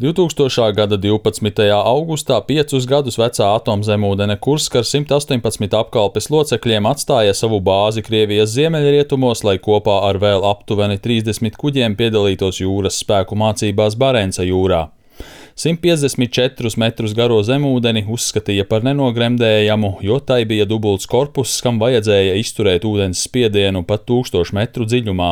2000. gada 12. augustā 5 gadus vecā atomzemūdene Kurska ar 118 apkalpes locekļiem atstāja savu bāzi Krievijas ziemeļrietumos, lai kopā ar vēl aptuveni 30 kuģiem piedalītos jūras spēku mācībās Barenca jūrā. 154 metrus garo zemūdeni uzskatīja par nenogremdējamu, jo tai bija dubults korpuss, kam vajadzēja izturēt ūdens spiedienu pat 1000 metru dziļumā.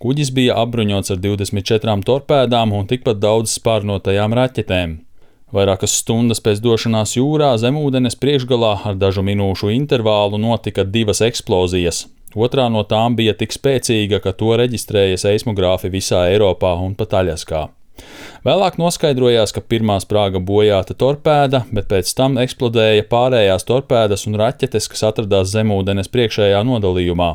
Kuģis bija apbruņots ar 24 torpēdām un tikpat daudz spārnotajām raķetēm. Vairākas stundas pēc došanās jūrā zemūdenes priekšgalā ar dažu minūšu intervālu notika 2 eksplozijas. Otrā no tām bija tik spēcīga, ka to reģistrēja seismogrāfi visā Eiropā un pat Aļaskā. Vēlāk noskaidrojās, ka pirmā sprāga bojāta torpēda, bet pēc tam eksplodēja pārējās torpēdas un raķetes, kas atradās zemūdenes priekšējā nodalījumā.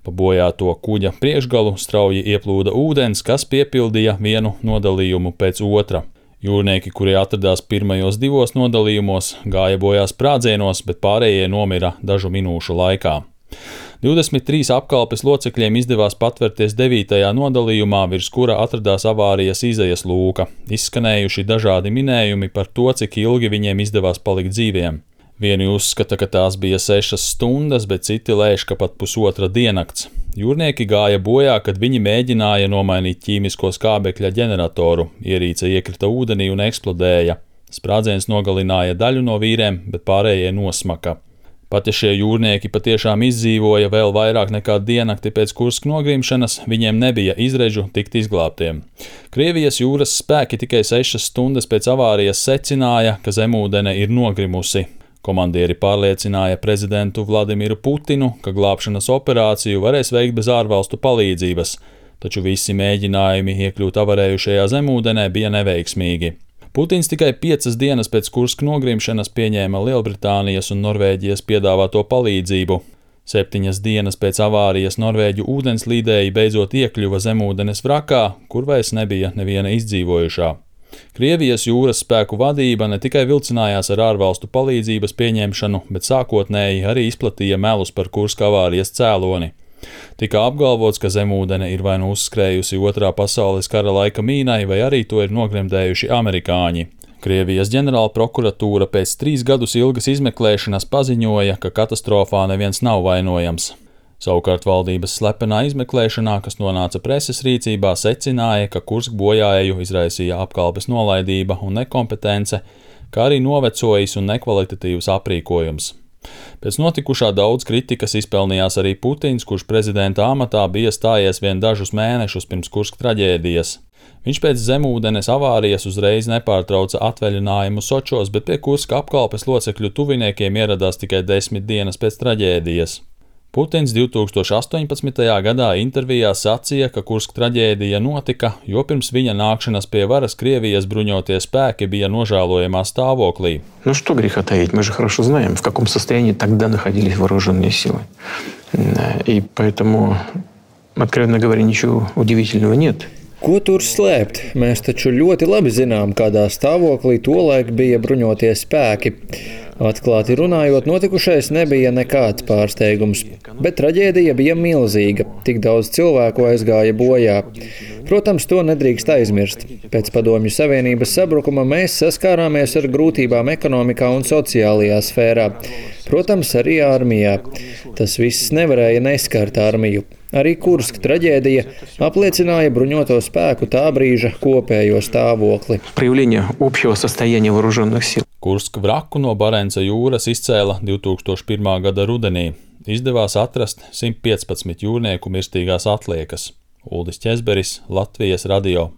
Pa bojāto kuģa priekšgalu strauji ieplūda ūdens, kas piepildīja vienu nodalījumu pēc otra. Jūrnieki, kuri atradās pirmajos 2 nodalījumos, gāja bojā sprādzienos, bet pārējie nomira dažu minūšu laikā. 23 apkalpes locekļiem izdevās patvērties 9. nodalījumā, virs kura atradās avārijas izejas lūka. Izskanējuši dažādi minējumi par to, cik ilgi viņiem izdevās palikt dzīviem. Vieni uzskata, ka tās bija 6 stundas, bet citi lēš, ka pat pusotra diennakts. Jūrnieki gāja bojā, kad viņi mēģināja nomainīt ķīmisko skābekļa ģeneratoru. Ierīce iekrita ūdenī un eksplodēja. Sprādziens nogalināja daļu no vīriem, bet pārējie nosmaka. Pat ja šie jūrnieki patiešām izdzīvoja vēl vairāk nekā diennakti pēc Kurska nogrimšanas, viņiem nebija izredzu tikt izglābtiem. Krievijas jūras spēki tikai 6 stundas pēc avārijas secināja, ka zemūdene ir nogrimusi. Komandieri pārliecināja prezidentu Vladimiru Putinu, ka glābšanas operāciju varēs veikt bez ārvalstu palīdzības, taču visi mēģinājumi iekļūt avarējušajā zemūdenē bija neveiksmīgi. Putins tikai 5 dienas pēc Kurska nogrimšanas pieņēma Lielbritānijas un Norvēģijas piedāvāto palīdzību. 7 dienas pēc avārijas norvēģu ūdenslīdēji beidzot iekļuva zemūdenes vrakā, kur vairs nebija neviena izdzīvojušā. Krievijas jūras spēku vadība ne tikai vilcinājās ar ārvalstu palīdzības pieņemšanu, bet sākotnēji arī izplatīja melus par Kurska avārijas cēloni. Tika apgalvots, ka zemūdene ir vai nu uzskrējusi 2. pasaules kara laika mīnai, vai arī to ir nogremdējuši amerikāņi. Krievijas ģenerāla prokuratūra pēc 3 gadus ilgas izmeklēšanas paziņoja, ka katastrofā neviens nav vainojams. Savukārt valdības slepenā izmeklēšanā, kas nonāca preses rīcībā, secināja, ka Kurska bojāeju izraisīja apkalpes nolaidība un nekompetence, kā arī novecojis un nekvalitatīvs aprīkojums. Pēc notikušā daudz kritikas izpelnījās arī Putins, kurš prezidenta amatā bija stājies vien dažus mēnešus pirms Kurska traģēdijas. Viņš pēc zemūdenes avārijas uzreiz nepārtrauca atvaļinājumu Sočos, bet pie Kurska apkalpes locekļu tuviniekiem ieradās tikai 10 dienas pēc traģēdijas. Putins 2018. gadā intervijā sacīja, ka Kurska traģēdija notika, jo pirms viņa nākšanas pie varas Krievijas bruņotie spēki bija nožēlojamā stāvoklī. Ну что греха таить, мы же хорошо знаем, в каком состоянии тогда находились вооруженные силы. И поэтому, откровенно говоря, ничего удивительного нет. Ko tur slēpt? Mēs taču ļoti labi zinām, kādā stāvoklī tolaik bija bruņotie spēki. Atklāti runājot, notikušais nebija nekāds pārsteigums, bet traģēdija bija milzīga, tik daudz cilvēku aizgāja bojā. Protams, to nedrīkst aizmirst. Pēc Padomju Savienības sabrukuma mēs saskārāmies ar grūtībām ekonomikā un sociālajā sfērā. Protams, arī armijā. Tas viss nevarēja neskart armiju. Arī Kurska traģēdija apliecināja bruņoto spēku tā brīža kopējo stāvokli. Kurska vraku no Barenca jūras izcēla 2001. gada rudenī. Izdevās atrast 115 jūrnieku mirstīgās atliekas. Uldis Ķezberis, Latvijas radio.